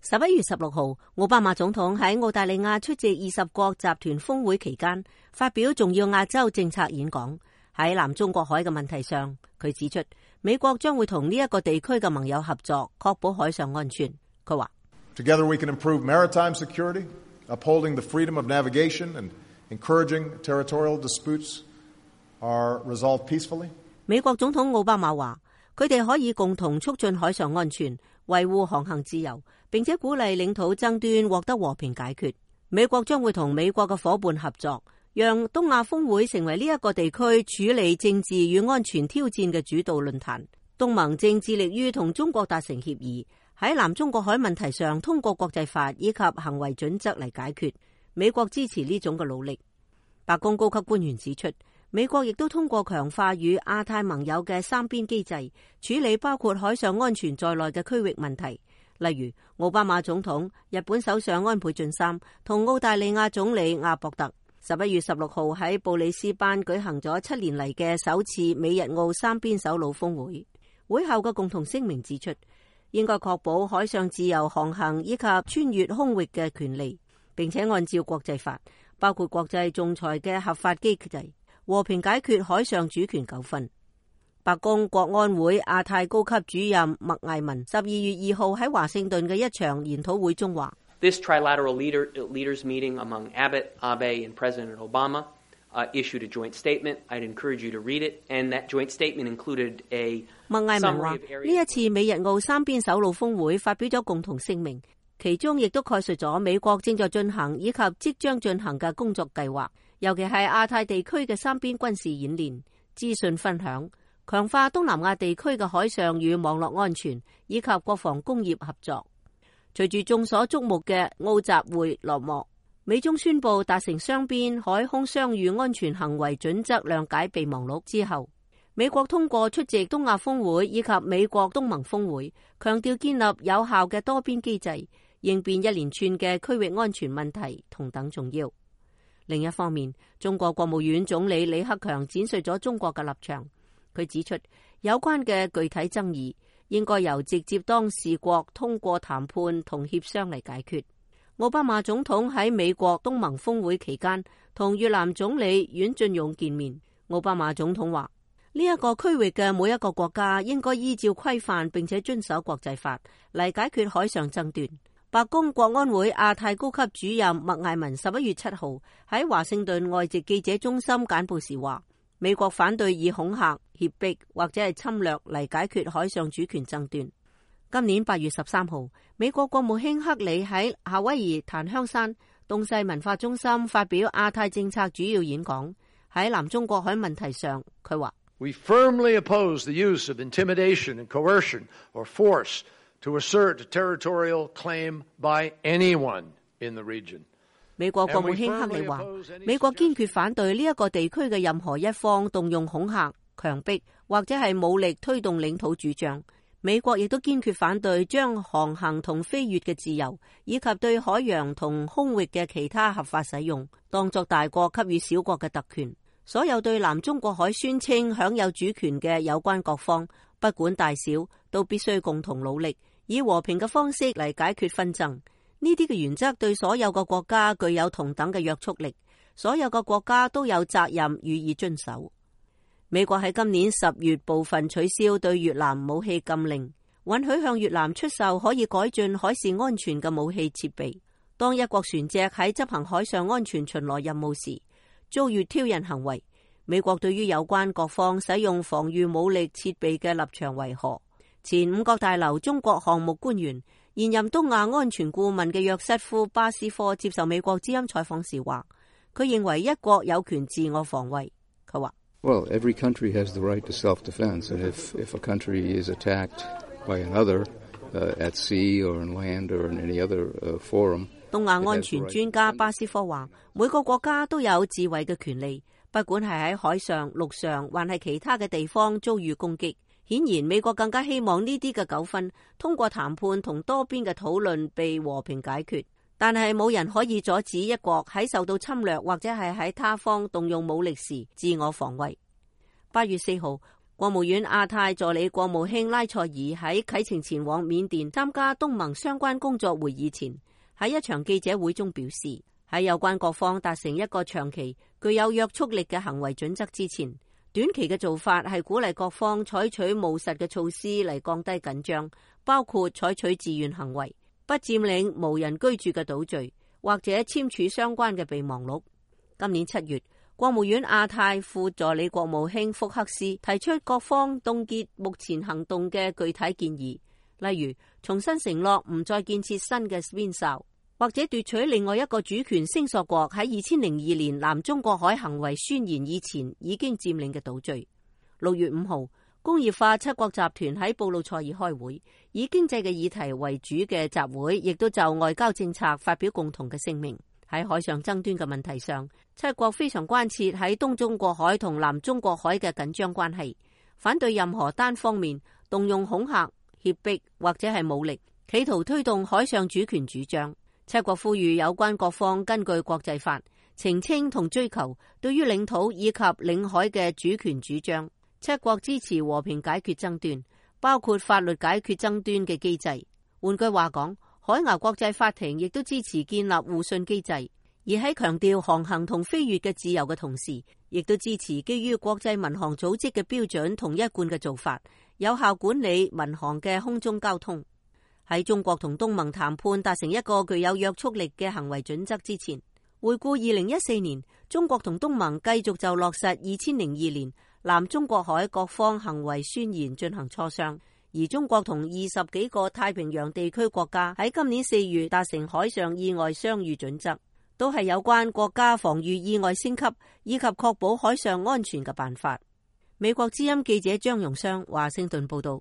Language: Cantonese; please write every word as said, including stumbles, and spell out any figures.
十一月十六號，奧巴馬總統喺澳大利亞出席二十國集團峰會期間，發表重要亞洲政策演講。喺南中國海嘅問題上，佢指出美國將會同呢一個地區嘅盟友合作，確保海上安全。佢話 Together we can improve maritime security, upholding the freedom of navigation and encouraging territorial disputes are resolved peacefully. 美國總統奧巴馬話，佢哋可以共同促進海上安全，維護航行自由，並且鼓勵領土爭端獲得和平解決。美國將會同美國嘅夥伴合作，讓東亞峰會成為呢一個地區處理政治與安全挑戰嘅主導論壇。東盟正致力於同中國達成協議，喺南中國海問題上通過國際法以及行為準則嚟解決。美國支持呢種嘅努力。白宮高級官員指出，美國亦都通過強化與亞太盟友嘅三邊機制，處理包括海上安全在內嘅區域問題。例如，奧巴馬總統、日本首相安倍晉三同澳大利亞總理阿博特十一月十六號喺布里斯班舉行咗七年嚟嘅首次美日澳三邊首腦峰會。會後嘅共同聲明指出，應該確保海上自由航行以及穿越空域嘅權利，並且按照國際法，包括國際仲裁嘅合法機制，和平解決海上主權糾紛。白宮國安會亞太高級主任麥艾文十二月二號喺華盛頓嘅一場研討會中話 This trilateral leader, leaders meeting among Abbott, Abe and President Obama uh, issued a joint statement. I'd encourage you to read it. And that joint statement included a 麥艾文話，呢一次美日澳三邊首腦峰會發表咗共同聲明，其中亦都概述咗美國正在進行以及即將進行嘅工作計劃，尤其係亞太地區嘅三邊軍事演練、資訊分享、強化東南亞地區嘅海上與網絡安全以及國防工業合作。隨住眾所矚目嘅澳集會落幕，美中宣布達成雙邊海空相遇安全行為準則諒解備忘錄之後，美國通過出席東亞峰會以及美國東盟峰會，強調建立有效嘅多邊機制，應變一連串嘅區域安全問題同等重要。另一方面，中國國務院總理李克強展述咗中國嘅立場。佢指出，有關嘅具體爭議應該由直接當事國通過談判同協商嚟解決。奧巴馬總統喺美國東盟峰會期間同越南總理阮俊勇見面。奧巴馬總統話，呢一個區域嘅每一個國家應該依照規範並且遵守國際法嚟解決海上爭端。白宮國安會亞太高級主任麥艾文十一月七號喺華盛頓外籍記者中心簡報時話，美國反對以恐嚇、脅迫或者係侵略嚟解決海上主權爭端。今年八月十三號，美國國務卿克里喺夏威夷檀香山東西文化中心發表亞太政策主要演講。喺南中國海問題上，佢話 We firmly oppose the use of intimidation and coercion or force to assert a territorial claim by anyone in the region. 美國國務卿克里話，美國堅決反對呢一個地區嘅任何一方動用恐嚇、強迫或者係武力推動領土主張。美國亦都堅決反對將航行同飛越嘅自由，以及對海洋同空域嘅其他合法使用，當作大國給予小國嘅特權。所有對南中國海宣稱享有主權嘅有關各方，不管大小，都必須共同努力，以和平嘅方式嚟解決紛爭。呢啲嘅原則對所有嘅國家具有同等嘅約束力，所有嘅國家都有責任予以遵守。美國喺今年十月部分取消對越南武器禁令，允許向越南出售可以改進海事安全嘅武器設備。當一國船隻喺執行海上安全巡邏任務時遭遇挑釁行為，美國對於有關各方使用防禦武力設備嘅立場為何？前五角大樓中國項目官員、現任東亞安全顧問嘅約瑟夫·巴斯科接受美國之音採訪時話，佢認為一國有權自我防衛。佢話Well, every country has the right to self-defense, and if if a country is attacked by another uh, at sea or on land or in any other uh, forum, 東亞安全專家巴斯科話，每個國家都有自衛嘅權利，不管係喺海上、陸上，還係其他嘅地方遭遇攻擊。顯然，美國更加希望呢啲嘅糾紛通過談判同多邊嘅討論被和平解決。但係冇人可以阻止一國喺受到侵略或者係喺他方動用武力時自我防衛。八月四號，國務院亞太助理國務卿拉塞爾喺啟程前往緬甸參加東盟相關工作會議前，喺一場記者會中表示，喺有關各方達成一個長期具有約束力嘅行為準則之前，短期嘅做法係鼓勵各方採取務實嘅措施嚟降低緊張，包括採取自願行為、不佔領無人居住嘅島嶼，或者簽署相關嘅備忘錄。今年七月，國務院亞太副助理國務卿福克斯提出各方凍結目前行動嘅具體建議，例如重新承諾唔再建設新嘅邊哨，或者奪取另外一個主權聲索國喺二千零二年南中國海行為宣言以前已經佔領嘅島嶼。六月五號，工業化七國集團喺布魯塞爾開會，以經濟嘅議題為主嘅集會，亦都就外交政策發表共同嘅聲明。喺海上爭端嘅問題上，七國非常關切喺東中國海同南中國海嘅緊張關係，反對任何單方面動用恐嚇、脅迫或者係武力，企圖推動海上主權主張。七國呼籲有關各方根據國際法澄清同追求對於領土以及領海嘅主權主張。七國支持和平解決爭端，包括法律解決爭端嘅機制。換句話講，海牙國際法庭亦都支持建立互信機制，而喺強調航行同飛越嘅自由嘅同時，亦都支持基於國際民航組織嘅標準同一貫嘅做法，有效管理民航嘅空中交通。喺中國同東盟談判達成一個具有約束力嘅行為準則之前，回顧二零一四年，中國同東盟繼續就落實二千零二年南中國海各方行為宣言進行磋商。而中國同二十幾個太平洋地區國家喺今年四月達成海上意外相遇準則，都係有關國家防禦意外升級以及確保海上安全嘅辦法。美國之音記者張容湘華盛頓報道。